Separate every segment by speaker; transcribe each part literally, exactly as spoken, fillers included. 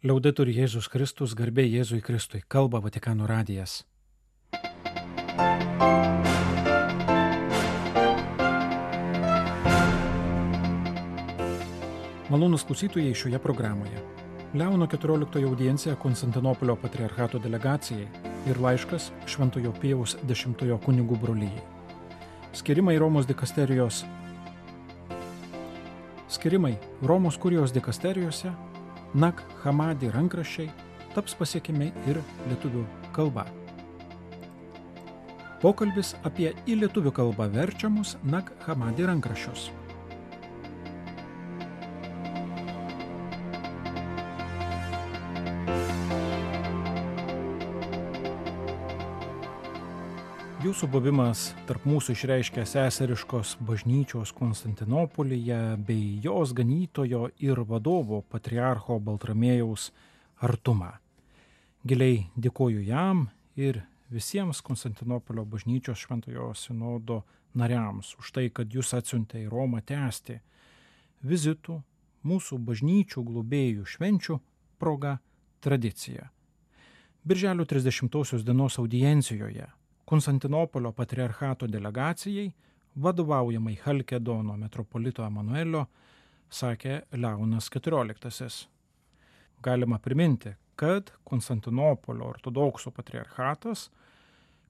Speaker 1: Liaudetur Jėzus Kristus, garbė Jėzui Kristui, kalba Vatikano radijas. Malonūs klausytojai šioje programoje. Leono keturioliktojo audiencija Konstantinopolio patriarchato delegacijai ir laiškas Šventojo Pijaus dešimtojo kunigų brolijai. Skirimai Romos dikasterijos Skirimai Romos kurijos dikasterijose, Nag Hammadi rankraščiai taps pasiekiami ir lietuvių kalba. Pokalbis apie į lietuvių kalbą verčiamus Nag Hammadi rankraščius. Jūsų buvimas tarp mūsų išreiškia seseriškos bažnyčios Konstantinopolyje bei jos ganytojo ir vadovo patriarcho Baltramiejaus artumą. Giliai dėkoju jam ir visiems Konstantinopolio bažnyčios šventojo sinodo nariams už tai, kad jūs atsiuntė į Romą tęsti vizitų mūsų bažnyčių globėjų švenčių proga tradiciją. Birželio trisdešimtosios dienos audiencijoje Konstantinopolio patriarchato delegacijai, vadovaujamai Chalkedono metropolito Emanuelio, sakė Leonas keturioliktasis. Galima priminti, kad Konstantinopolio ortodoksų patriarchatas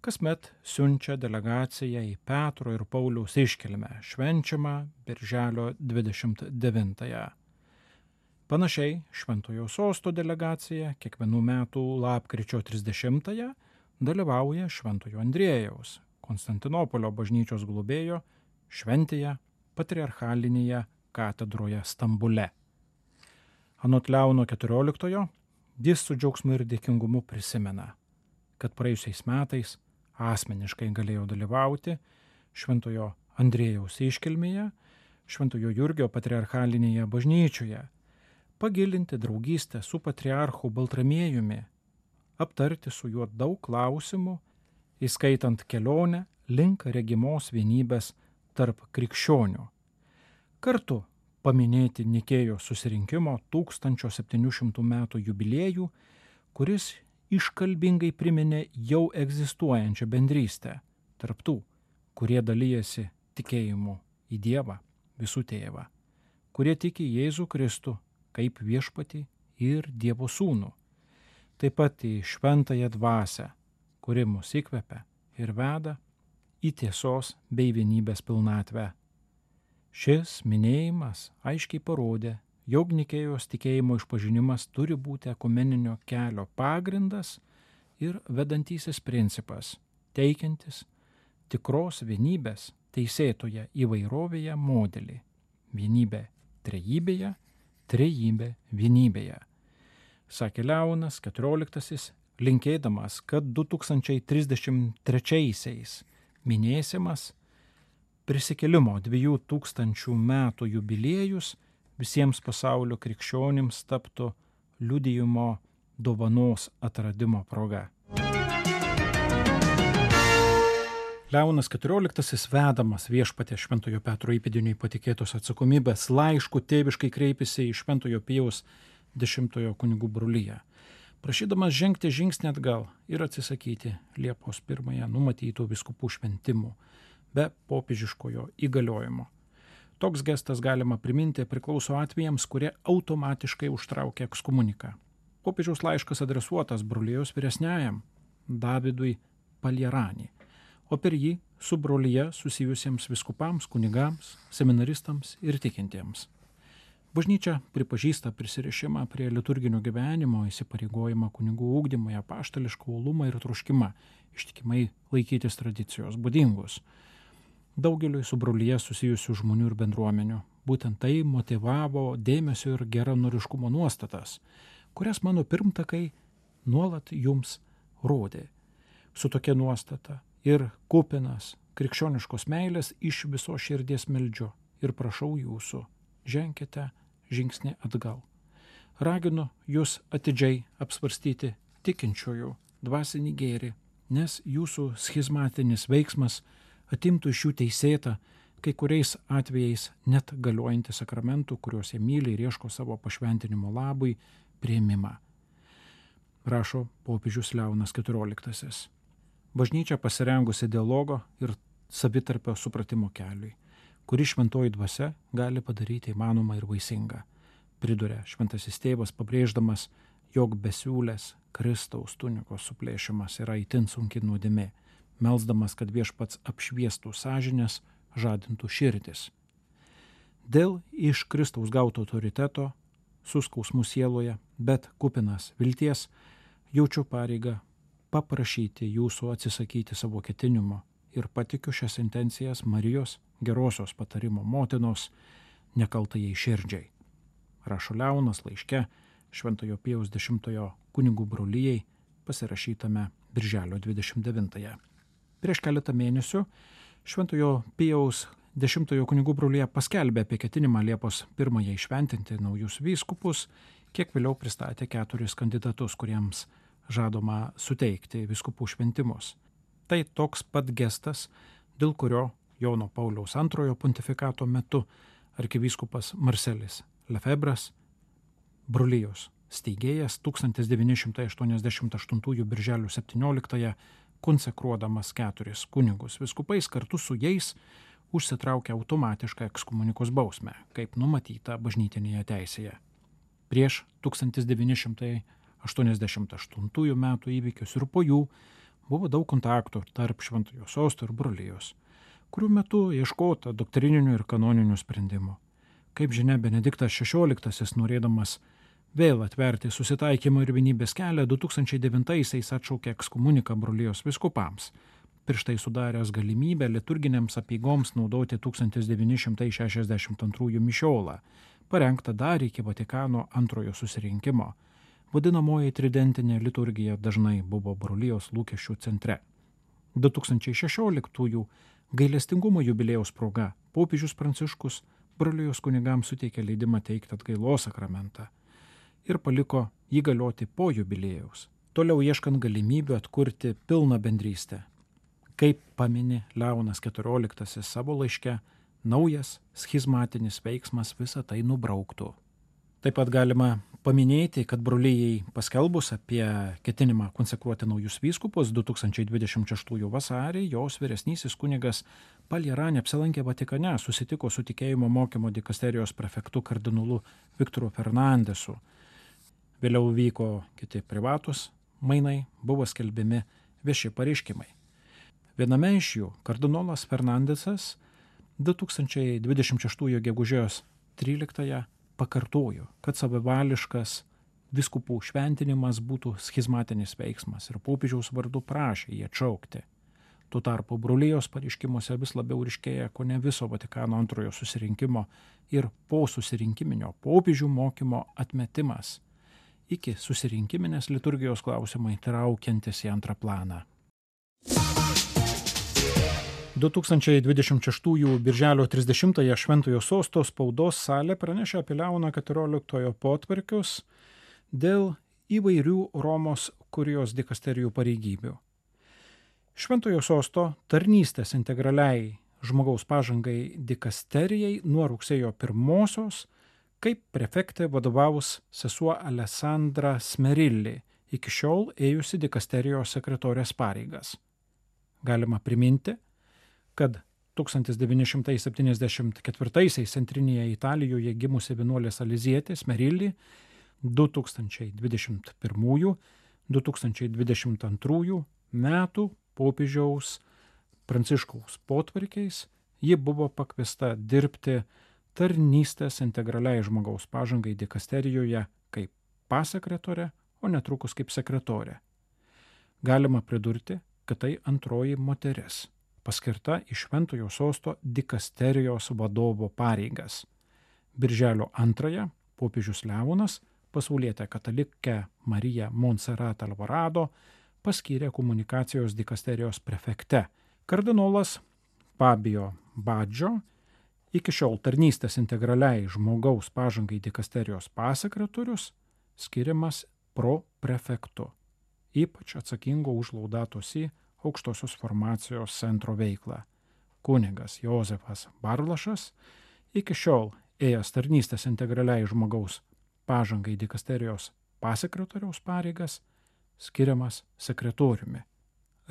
Speaker 1: kasmet siunčia delegaciją į Petro ir Pauliaus iškilmę, švenčiamą Birželio dvidešimt devintąją. Panašiai Šventojo Sosto delegacija kiekvienų metų lapkričio trisdešimtąją dalyvauja Šventojo Andriejaus, Konstantinopolio bažnyčios globėjo šventėje patriarchalinėje katedroje Stambule. Anot Leono keturioliktojo, jis su džiaugsmu ir dėkingumu prisimena, kad praėjusiais metais asmeniškai galėjo dalyvauti Šventojo Andriejaus iškilmėje, Šventojo Jurgio patriarchalinėje bažnyčioje, pagilinti draugystę su patriarchu Baltramiejumi, aptarti su juo daug klausimų, įskaitant kelionę link regimos vienybės tarp krikščionių. Kartu paminėti Nikėjos susirinkimo tūkstančio septynių šimtų metų jubiliejų, kuris iškalbingai priminė jau egzistuojančią bendrystę tarp tų, kurie dalijasi tikėjimu į Dievą, visų tėvą, kurie tiki Jėzų Kristų kaip viešpatį ir Dievo sūnų. Taip pat į šventąją dvasią, kuri mus įkvepia ir veda į tiesos bei vienybės pilnatvę. Šis minėjimas aiškiai parodė, jog Nikėjos tikėjimo išpažinimas turi būti ekumeninio kelio pagrindas ir vedantysis principas, teikiantis tikros vienybės teisėtoje įvairovėje modelį. Vienybė trejybėje, trejybė vienybėje. Sakė Leonas keturioliktasis, linkėdamas, kad du tūkstančiai trisdešimt trečiaisiais minėsimas prisikėlimo dviejų tūkstančių metų jubiliejus visiems pasaulio krikščionims taptų liudijimo dovanos atradimo proga. Leonas keturioliktasis, vedamas viešpaties Šventojo Petro įpėdiniui patikėtos atsakomybės laišku, tėviškai kreipėsi į Šventojo Pijaus dešimtojo kunigų broliją, prašydamas žengti žingsnį atgal ir atsisakyti Liepos pirmąją numatytų vyskupų šventimų be popiežiškojo įgaliojimo. Toks gestas, galima priminti, priklauso atvejams, kurie automatiškai užtraukia ekskomuniką. Popiežiaus laiškas adresuotas brolijos vyresniajam Davidui Palierani, o per jį su brolija susijusiems vyskupams, kunigams, seminaristams ir tikintiems. Bažnyčia pripažįsta prisirišimą prie liturginio gyvenimo, įsipareigojimą kunigų ugdymui, apaštališką uolumą ir troškimą ištikimai laikytis tradicijos būdingus daugeliui su brolija susijusių žmonių ir bendruomenių. Būtent tai motyvavo dėmesio ir geranoriškumo nuostatas, kurias mano pirmtakai nuolat jums rodė. Su tokia nuostata ir kupinas krikščioniškos meilės iš viso širdies meldžiu ir prašau jūsų, ženkite žingsnį atgal. Raginu jūs atidžiai apsvarstyti tikinčiųjų dvasinį gėrį, nes jūsų schizmatinis veiksmas atimtų iš jų teisėtą kai kuriais atvejais net galiojantį sakramentų, kuriuos jie myli ir ieško savo pašventinimo labui, priėmimą. Rašo popiežius Leonas keturioliktasis. Bažnyčia pasirengusi dialogo ir savitarpio supratimo keliui, kurį šventoji dvasia gali padaryti įmanomą ir vaisingą. Priduria šventasis tėvas, pabrėždamas, jog besiūlės Kristaus tunikos suplėšimas yra itin sunki nuodėmė, melsdamas, kad viešpats apšviestų sąžinės, žadintų širdis. Dėl iš Kristaus gauto autoriteto, suskausmų sieloje, bet kupinas vilties, jaučiu pareigą paprašyti jūsų atsisakyti savo ketinimo ir patikiu šias intencijas Marijos gerosios patarimo motinos nekaltajai širdžiai. Rašo Leonas laiške Šventojo Pijaus dešimtojo kunigų brolijai pasirašytame birželio dvidešimt devintąją. Prieš keletą mėnesių Šventojo Pijaus dešimtojo kunigų brolija paskelbė apie ketinimą Liepos pirmąją įšventinti naujus vyskupus, kiek vėliau pristatė keturis kandidatus, kuriems žadoma suteikti vyskupų šventimus. Tai toks pat gestas, dėl kurio Jono Pauliaus antrojo pontifikato metu arkivyskupas Marselis Lefebras, brolijos steigėjas, tūkstantis devyni šimtai aštuoniasdešimt aštuntųjų birželio septynioliktąją konsekruodamas keturis kunigus vyskupais, kartu su jais užsitraukia automatišką ekskomunikos bausmę, kaip numatyta bažnytinėje teisėje. Prieš tūkstantis devyni šimtai aštuoniasdešimt aštuntųjų metų įvykius ir po jų buvo daug kontaktų tarp Šventojo sosto ir brolijos, kurių metu ieškota doktrininių ir kanoninių sprendimų. Kaip žinia, Benediktas šešioliktasis, norėdamas vėl atverti susitaikymo ir vienybės kelią, du tūkstančiai devintaisiais atšaukė ekskomuniką brolijos vyskupams, prieš tai sudaręs galimybę liturginėms apeigoms naudoti tūkstantis devyni šimtai šešiasdešimt antrųjų mišiolą, parengtą dar iki Vatikano antrojo susirinkimo. Vadinamoji tridentinė liturgija dažnai buvo brolijos lūkesčių centre. du tūkstančiai šešioliktųjų gailestingumo jubiliejaus proga popiežius Pranciškus brolijos kunigams suteikė leidimą teikti atgailos sakramentą ir paliko jį galioti po jubiliejaus, toliau ieškant galimybių atkurti pilną bendrystę. Kaip pamini Leonas keturioliktasis savo laiške, naujas schizmatinis veiksmas visą tai nubrauktų. Taip pat galima paminėti, kad brolijai paskelbus apie ketinimą konsekruoti naujus vyskupus du tūkstančiai dvidešimt šeštųjų vasarį, jos vyresnysis kunigas Paljerani apsilankė Vatikane, susitiko su tikėjimo mokymo dikasterijos prefektu kardinolu Viktoru Fernandesu. Vėliau vyko kiti privatus mainai, buvo skelbiami vieši pareiškimai. Viename iš jų kardinolas Fernandesas du tūkstančiai dvidešimt šeštųjų gegužės tryliktąją pakartojo, kad savivališkas vyskupų šventinimas būtų schizmatinis veiksmas ir popiežiaus vardu prašė jį atšaukti. Tuo tarpu brolijos pareiškimuose vis labiau ryškėja kone viso Vatikano antrojo susirinkimo ir po susirinkiminio popiežių mokymo atmetimas iki susirinkiminės liturgijos klausimai traukiantis į antrą planą. du tūkstančiai dvidešimt šeštųjų birželio trisdešimtąją Šventojo sosto spaudos salė pranešė apie Leono keturioliktojo potvarkius dėl įvairių Romos kurijos dikasterijų pareigybių. Šventojo sosto tarnystės integraliai žmogaus pažangai dikasterijai nuo rugsėjo pirmosios kaip prefektė vadovaus sesuo Alessandra Smerilli, iki šiol ėjusi dikasterijos sekretorės pareigas. Galima priminti, kad tūkstantis devyni šimtai septyniasdešimt ketvirtaisiais centrinėje Italijoje gimusi vienuolė salizietė Smerilli du tūkstančiai dvidešimt pirmųjų - du tūkstančiai dvidešimt antrųjų metų popiežiaus Pranciškaus potvarkiais ji buvo pakviesta dirbti tarnystės integraliai žmogaus pažangai dikasterijoje kaip pasekretorė, o netrukus kaip sekretorė. Galima pridurti, kad tai antroji moteris, paskirta į Šventojo sosto dikasterijos vadovo pareigas. Birželio antrąją popiežius Leonas pasaulietę katalikę Mariją Montserrat Alvarado paskyrė komunikacijos dikasterijos prefekte. Kardinolas Fabio Baggio, iki šiol tarnystės integraliai žmogaus pažangai dikasterijos pasekretorius, skiriamas pro prefektu, ypač atsakingo už Laudato Si aukštosios formacijos centro veiklą. kunigas Jozefas Barlašas, iki šiol ėjęs tarnystės integraliai žmogaus pažangai dikasterijos pasekretoriaus pareigas, skiriamas sekretoriumi.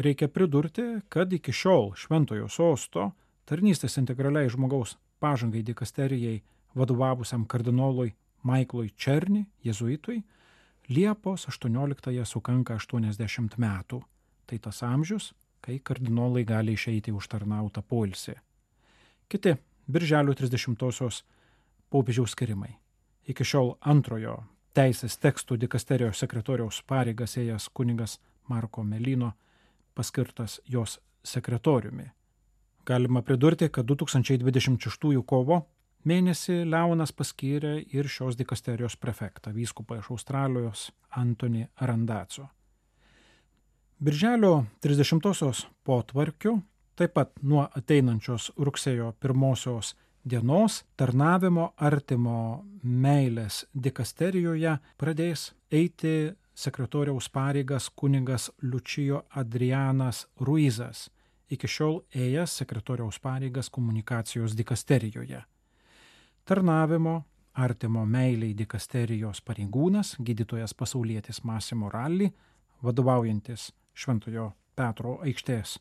Speaker 1: Reikia pridurti, kad iki šiol Šventojo sosto tarnystės integraliai žmogaus pažangai dikasterijai vadovavusiam kardinolui Maiklui Černi, jėzuitui, Liepos aštuonioliktąją sukanka aštuoniasdešimt metų. Tai tas amžius, kai kardinolai gali išeiti užtarnautą poilsį. Kiti birželio trisdešimtosios popiežiaus skirimai. Iki šiol antrojo teisės tekstų dikasterijos sekretoriaus pareigas ėjęs kunigas Marko Melino paskirtas jos sekretoriumi. Galima pridurti, kad du tūkstančiai dvidešimt šeštųjų kovo mėnesį Leonas paskyrė ir šios dikasterijos prefektą, vyskupą iš Australijos Antonį Randaco. Birželio trisdešimtosios potvarkiu, taip pat nuo ateinančios rugsėjo pirmosios dienos tarnavimo artimo meilės dikasterijoje pradės eiti sekretoriaus pareigas kunigas Lučijo Adrianas Ruizas, iki šiol ėjęs sekretoriaus pareigas komunikacijos dikasterijoje. Tarnavimo artimo meiliai dikasterijos pareigūnas, gydytojas pasaulietis Massimo Ralli, vadovaujantis Šventojo Petro aikštės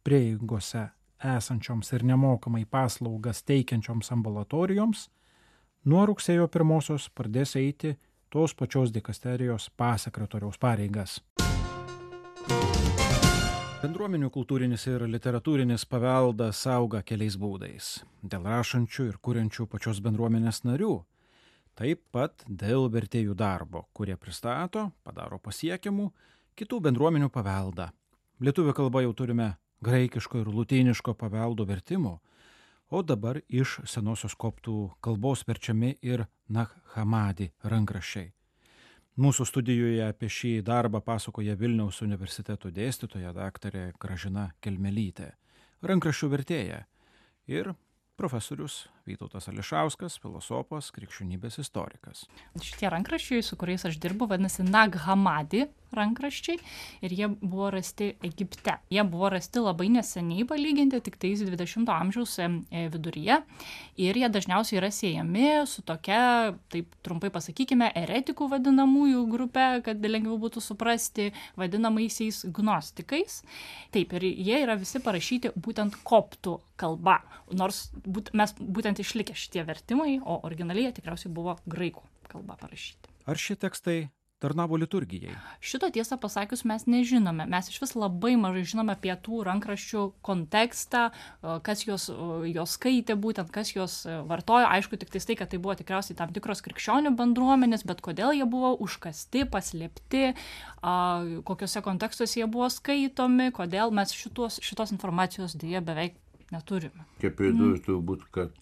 Speaker 1: prieigose esančioms ir nemokamai paslaugas teikiančioms ambulatorijoms, nuo rugsėjo pirmosios pradės eiti tos pačios dikasterijos pasekretoriaus pareigas. Bendruomenių kultūrinis ir literatūrinis paveldas auga keliais būdais. Dėl rašančių ir kuriančių pačios bendruomenės narių. Taip pat dėl vertėjų darbo, kurie pristato, padaro pasiekiamų kitų bendruomenių paveldą. Lietuvių kalba jau turime graikiško ir lotyniško paveldo vertimų, o dabar iš senosios koptų kalbos verčiami ir Nag Hammadi rankraščiai. Mūsų studijoje apie šį darbą pasakoja Vilniaus universiteto dėstytoja daktarė Gražina Kelmelytė, rankraščių vertėja, ir profesorius Vytautas Ališauskas, filosofas, krikščionybės istorikas.
Speaker 2: Šitie rankraščiai, su kuriais aš dirbu, vadinasi Nag Hammadi rankraščiai ir jie buvo rasti Egipte. Jie buvo rasti labai neseniai palyginti, tik tais dvidešimto amžiaus viduryje ir jie dažniausiai yra siejami su tokia, taip trumpai pasakykime, eretikų vadinamųjų grupė, kad lengviau būtų suprasti, vadinamaisiais gnostikais. Taip, ir jie yra visi parašyti būtent koptų kalba, nors būt, mes būtent išlikę šitie vertimai, o originaliai tikriausiai buvo graikų kalba parašyti.
Speaker 1: Ar šie tekstai tarnavo liturgijai?
Speaker 2: Šito tiesą pasakius mes nežinome. Mes iš vis labai mažai žinome apie tų rankraščių kontekstą, kas jos, jos skaitė būtent, kas jos vartojo. Aišku, tik tai, kad tai buvo tikriausiai tam tikros krikščionių bendruomenės, bet kodėl jie buvo užkasti, paslėpti, kokiuose kontekstuose jie buvo skaitomi, kodėl mes šitos, šitos informacijos dėja beveik neturime.
Speaker 3: Čia pridurti turbūt, kad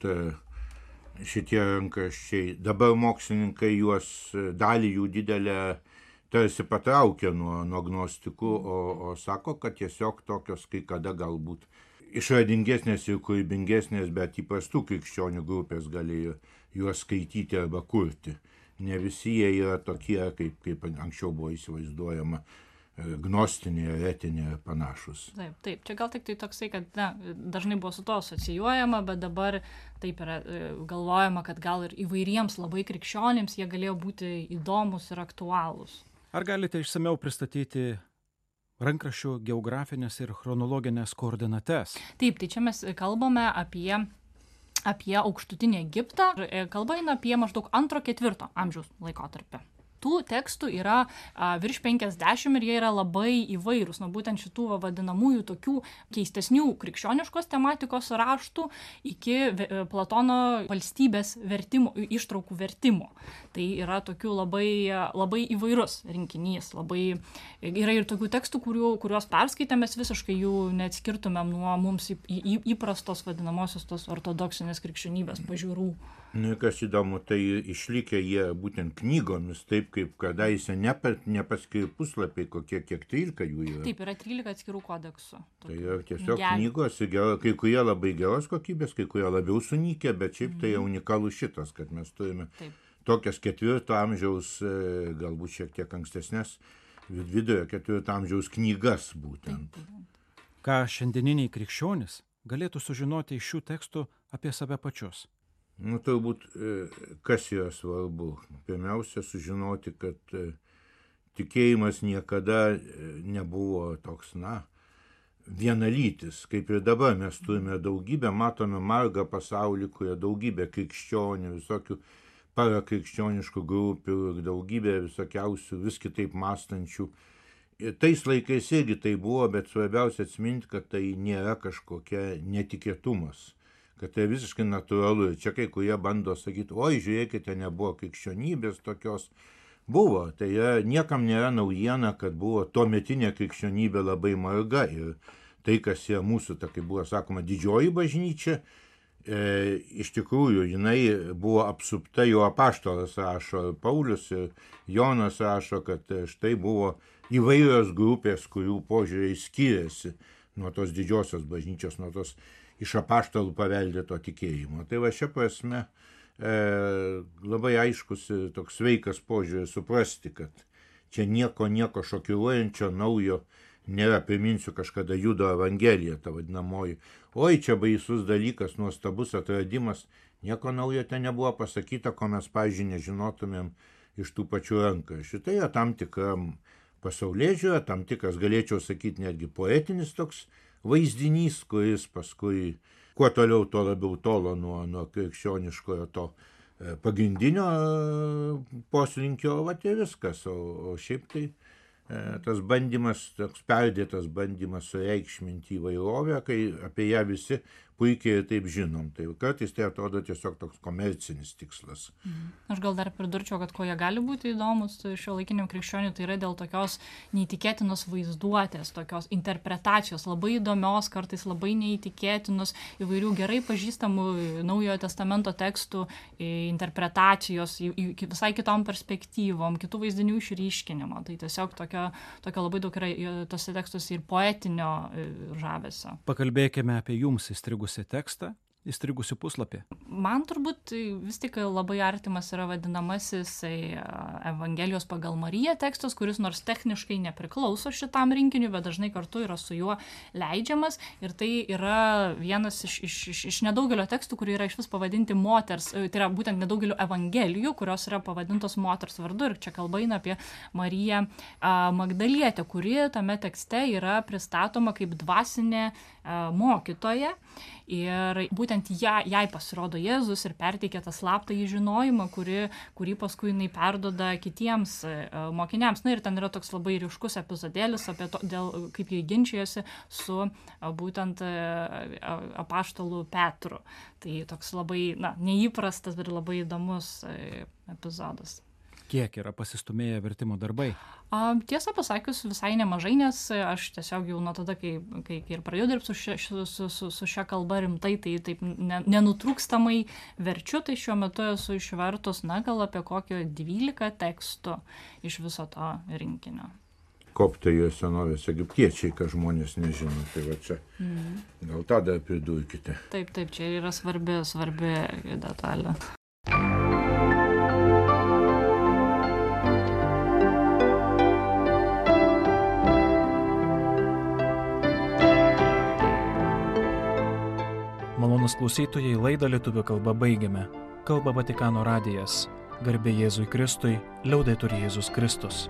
Speaker 3: šitie rankraščiai, dabar mokslininkai juos, dalį jų didelę tarsi patraukia nuo, nuo gnostikų, o, o sako, kad tiesiog tokios kai kada galbūt išradingesnės ir kūrybingesnės, bet įprastų krikščionių grupės galėjo juos skaityti arba kurti. Ne visi jie yra tokie, kaip, kaip anksčiau buvo įsivaizduojama, gnostinė, eretinė ir panašus.
Speaker 2: Taip, taip. Čia gal tik tai toksai, kad na, dažnai buvo su to asocijuojama, bet dabar taip yra galvojama, kad gal ir įvairiems labai krikščionims jie galėjo būti įdomus ir aktualūs.
Speaker 1: Ar galite išsamiau pristatyti rankraščių geografinės ir chronologinės koordinates?
Speaker 2: Taip, tai čia mes kalbame apie apie aukštutinį Egiptą. Kalba eina apie maždaug antro ketvirto amžiaus laikotarpį. Tų tekstų yra a, virš penkiasdešimt ir jie yra labai įvairūs, nuo būtent šitų va, vadinamųjų tokių keistesnių krikščioniškos tematikos raštų iki Platono valstybės vertimo, ištraukų vertimo. Tai yra tokių labai, labai įvairus rinkinys. Labai, yra ir tokių tekstų, kurių, kuriuos perskaitę mes visiškai jų neatskirtumėm nuo mums į, į, įprastos vadinamosios tos ortodoksinės krikščionybės pažiūrų.
Speaker 3: Nu, kas įdomu, tai išlikę jie būtent knygomis, taip kaip kadaise nepa, nepaskiri puslapiai, kokie kiek trylika jų yra.
Speaker 2: Taip, yra trylika atskirų kodeksų.
Speaker 3: Tai yra tiesiog knygos, kai kurie labai geros kokybės, kai kurie labiau sunykę, bet šiaip tai unikalus šitas, kad mes turime taip. Tokias ketvirto amžiaus, galbūt šiek tiek ankstesnės, vidurio ketvirto amžiaus knygas būtent.
Speaker 1: Ką šiandieniniai krikščionys galėtų sužinoti iš šių tekstų apie save pačius?
Speaker 3: Nu, turbūt, kas yra svarbu? Pirmiausia, sužinoti, kad tikėjimas niekada nebuvo toks, na, vienalytis, kaip ir dabar mes turime daugybę, matome margą pasaulį, kurie daugybė krikščionių, visokių parakrikščioniškų grupių, daugybė visokiausių vis kitaip mąstančių. Ir tais laikais irgi tai buvo, bet svarbiausia atsiminti, kad tai nėra kažkokia netikėtumas, kad tai visiškai natūralu. Ir čia kai kurie bando sakyti, oi, žiūrėkite, nebuvo krikščionybės tokios. Buvo, tai yra, niekam nėra naujiena, kad buvo tuometinė krikščionybė labai marga ir tai, kas yra mūsų, ta, kaip buvo sakoma, didžioji bažnyčia, e, iš tikrųjų, jinai buvo apsupta, jo apaštalas rašo, Paulius ir Jonas rašo, kad štai buvo įvairios grupės, kurių požiūriai skiriasi nuo tos didžiosios bažnyčios, nuo tos iš apaštalų paveldėto tikėjimo. Tai va šia prasme E, labai aiškus ir toks sveikas požiūris suprasti, kad čia nieko, nieko šokiruojančio, naujo nėra. Priminsiu kažkada Judo Evangelija, ta vadinamoji. Oi, čia baisus dalykas, nuostabus atradimas. Nieko naujo ten nebuvo pasakyta, ko mes, pavyzdžiui, nežinotumėm iš tų pačių rankraščių. Tai yra tam tikram pasaulėžiūra, tam tikras, galėčiau sakyti, netgi poetinis toks vaizdinys, kuris paskui kuo toliau, tuo labiau tolo nuo, nuo krikščioniškojo to e, pagrindinio e, poslinkio, va tai viskas. O, o šiaip tai e, tas bandymas, toks perdėtas bandymas sureikšminti įvairovę, kai apie ją visi puikiai ir taip žinom. Tai kartais tai atrodo tiesiog toks komercinis tikslas.
Speaker 2: Mhm. Aš gal dar pridurčiau, kad kuo jie gali būti įdomus šiuolaikiniam krikščioniui, tai yra dėl tokios neįtikėtinos vaizduotės, tokios interpretacijos, labai įdomios, kartais labai neįtikėtinos, įvairių gerai pažįstamų Naujojo testamento tekstų interpretacijos, visai kitom perspektyvom, kitų vaizdinių išryškinimo. Tai tiesiog tokio, tokio labai daug yra tose tekstuose ir poetinio žavesio.
Speaker 1: Pakalbėkime apie jums įstrigusį tekstą, įstrigusi puslapį.
Speaker 2: Man turbūt vis tik labai artimas yra vadinamasis Evangelijos pagal Mariją tekstas, kuris nors techniškai nepriklauso šitam rinkiniui, bet dažnai kartu yra su juo leidžiamas. Ir tai yra vienas iš, iš, iš, iš nedaugelio tekstų, kurie yra iš vis pavadinti moters, tai yra būtent nedaugelio evangelijų, kurios yra pavadintos moters vardu. Ir čia kalba eina apie Mariją Magdalietę, kuri tame tekste yra pristatoma kaip dvasinė mokytoja. Ir būtent ją, jai pasirodo Jėzus ir perteikia tą slaptąjį žinojimą, kuri, kurį paskui jinai perduoda kitiems mokiniams. Na ir ten yra toks labai ryškus epizodėlis apie to, dėl, kaip jie ginčijosi su būtent apaštalu Petru. Tai toks labai na, neįprastas ir labai įdomus epizodas.
Speaker 1: Kiek yra pasistumėję vertimo darbai?
Speaker 2: A, tiesą pasakius, visai nemažai, nes aš tiesiog jau nuo tada, kai, kai, kai ir pradėjau dirbti su, šia, su, su, su, su šia kalba rimtai, tai taip ne, nenutrūkstamai verčiu, tai šiuo metu esu išvertus, na, gal apie kokio dvylika tekstų iš viso to rinkinio.
Speaker 3: Koptai ir senovės egiptiečiai, ką žmonės nežino, tai va čia. Mm. Gal tą dar pridurkite.
Speaker 2: Taip, taip, čia yra svarbi, svarbi detalė.
Speaker 1: Malonūs klausytojai, laidą lietuvių kalba baigiame. Kalba Vatikano radijas. Garbė Jėzui Kristui, liaudetur Jėzus Kristus.